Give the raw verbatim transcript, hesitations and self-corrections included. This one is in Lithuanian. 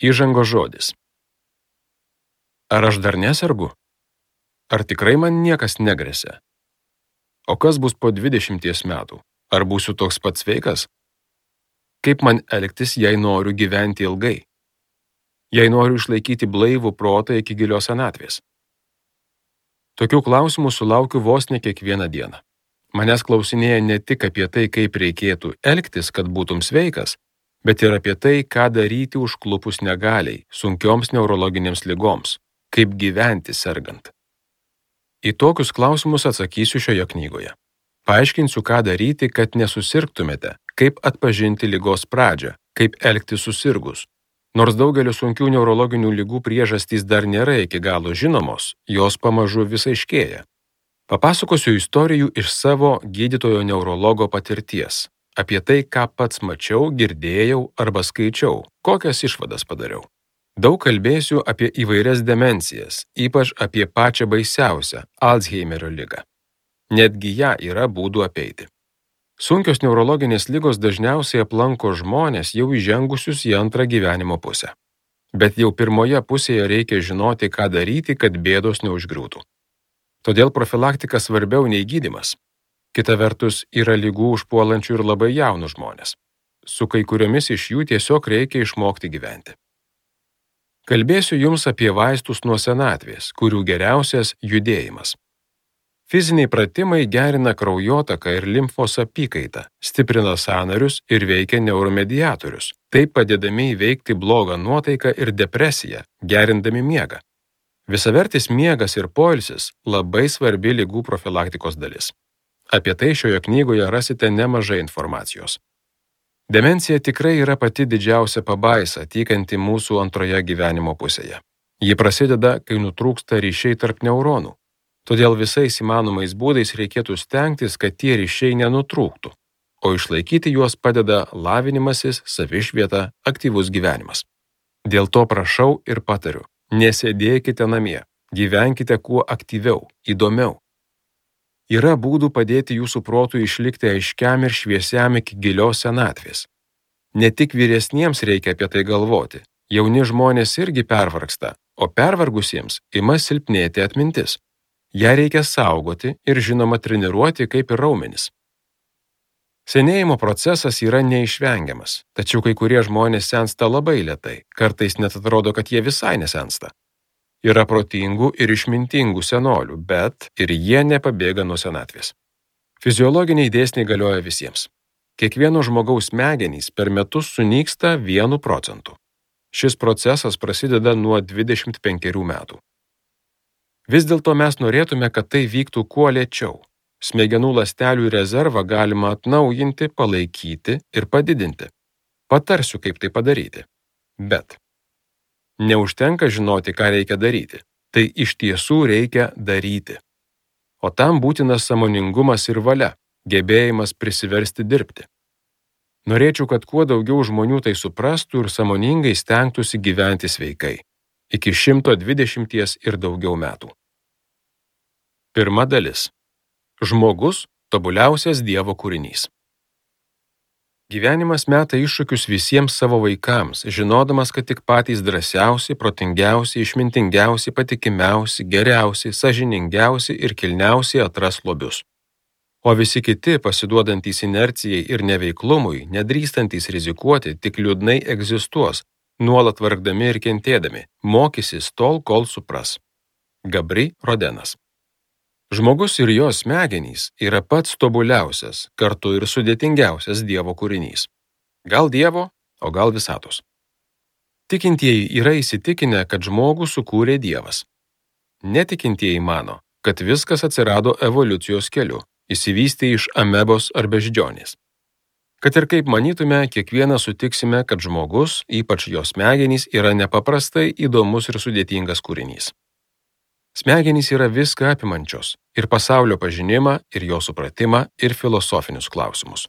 Įžangos žodis. Ar aš dar nesergu? Ar tikrai man niekas negresia? O kas bus po dvidešimties metų? Ar būsiu toks pats sveikas? Kaip man elgtis, jei noriu gyventi ilgai? Jei noriu išlaikyti blaivų protą iki gilios senatvės? Tokių klausimų sulaukiu vos ne kiekvieną dieną. Manęs klausinėja ne tik apie tai, kaip reikėtų elgtis, kad būtum sveikas, bet ir apie tai, ką daryti užklupus negaliai, sunkioms neurologinėms ligoms, kaip gyventi sergant. Į tokius klausimus atsakysiu šioje knygoje. Paaiškinsiu, ką daryti, kad nesusirgtumėte, kaip atpažinti ligos pradžią, kaip elgtis susirgus. Nors daugelio sunkių neurologinių ligų priežastys dar nėra iki galo žinomos, jos pamažu vis aiškėja. Papasakosiu istorijų iš savo gydytojo neurologo patirties, apie tai, ką pats mačiau, girdėjau arba skaičiau, kokias išvadas padariau. Daug kalbėsiu apie įvairias demencijas, ypač apie pačią baisiausią – Alzheimerio ligą. Netgi ją yra būdų apeiti. Sunkios neurologinės ligos dažniausiai aplanko žmonės jau įžengusius į antrą gyvenimo pusę. Bet jau pirmoje pusėje reikia žinoti, ką daryti, kad bėdos neužgriūtų. Todėl profilaktika svarbiau nei gydymas. Kita vertus, yra ligų užpuolančių ir labai jaunus žmonės. Su kai kuriomis iš jų tiesiog reikia išmokti gyventi. Kalbėsiu jums apie vaistus nuo senatvės, kurių geriausias judėjimas. Fiziniai pratimai gerina kraujotaką ir limfos apykaitą, stiprina sąnarius ir veikia neuromediatorius, taip padėdami įveikti blogą nuotaiką ir depresiją, gerindami miegą. Visavertis miegas ir poilsis labai svarbi ligų profilaktikos dalis. Apie tai šioje knygoje rasite nemažai informacijos. Demencija tikrai yra pati didžiausia pabaisa, tykanti mūsų antroje gyvenimo pusėje. Ji prasideda, kai nutrūksta ryšiai tarp neuronų. Todėl visais įmanomais būdais reikėtų stengtis, kad tie ryšiai nenutrūktų, o išlaikyti juos padeda lavinimasis, savišvieta, aktyvus gyvenimas. Dėl to prašau ir patariu. Nesėdėkite namie, gyvenkite kuo aktyviau, įdomiau. Yra būdų padėti jūsų protui išlikti aiškiam ir šviesiam iki gilios senatvės. Ne tik vyresniems reikia apie tai galvoti, jauni žmonės irgi pervargsta, o pervargusiems ima silpnėti atmintis. Ją reikia saugoti ir žinoma treniruoti kaip ir raumenis. Senėjimo procesas yra neišvengiamas, tačiau kai kurie žmonės sensta labai lėtai, kartais net atrodo, kad jie visai nesensta. Yra protingų ir išmintingų senolių, bet ir jie nepabėga nuo senatvės. Fiziologiniai dėsniai galioja visiems. Kiekvieno žmogaus smegenys per metus sunyksta vienu procentu. Šis procesas prasideda nuo dvidešimt penkerių metų. Vis dėlto mes norėtume, kad tai vyktų kuo lėčiau. Smegenų ląstelių rezervą galima atnaujinti, palaikyti ir padidinti. Patarsiu, kaip tai padaryti. Bet neužtenka žinoti, ką reikia daryti. Tai iš tiesų reikia daryti. O tam būtinas sąmoningumas ir valia, gebėjimas prisiversti dirbti. Norėčiau, kad kuo daugiau žmonių tai suprastų ir sąmoningai stengtųsi gyventi sveikai. Iki šimto dvidešimties ir daugiau metų. Pirma dalis. Žmogus – tobuliausias Dievo kūrinys. Gyvenimas meta iššūkius visiems savo vaikams, žinodamas, kad tik patys drąsiausi, protingiausi, išmintingiausi, patikimiausi, geriausi, sąžiningiausi ir kilniausi atras lobius. O visi kiti, pasiduodantys inercijai ir neveiklumui, nedrįstantys rizikuoti, tik liūdnai egzistuos, nuolat vargdami ir kentėdami, mokysis tol, kol supras. Gabri Rodenas. Žmogus ir jo smegenys yra pats tobuliausias, kartu ir sudėtingiausias Dievo kūrinys. Gal Dievo, o gal visatos. Tikintieji yra įsitikinę, kad žmogų sukūrė Dievas. Netikintieji mano, kad viskas atsirado evoliucijos keliu, išsivystė iš amebos ar beždžionės. Kad ir kaip manytume, kiekvieną sutiksime, kad žmogus, ypač jo smegenys, yra nepaprastai įdomus ir sudėtingas kūrinys. Smegenys yra viską apimančios – ir pasaulio pažinimą, ir jo supratimą, ir filosofinius klausimus.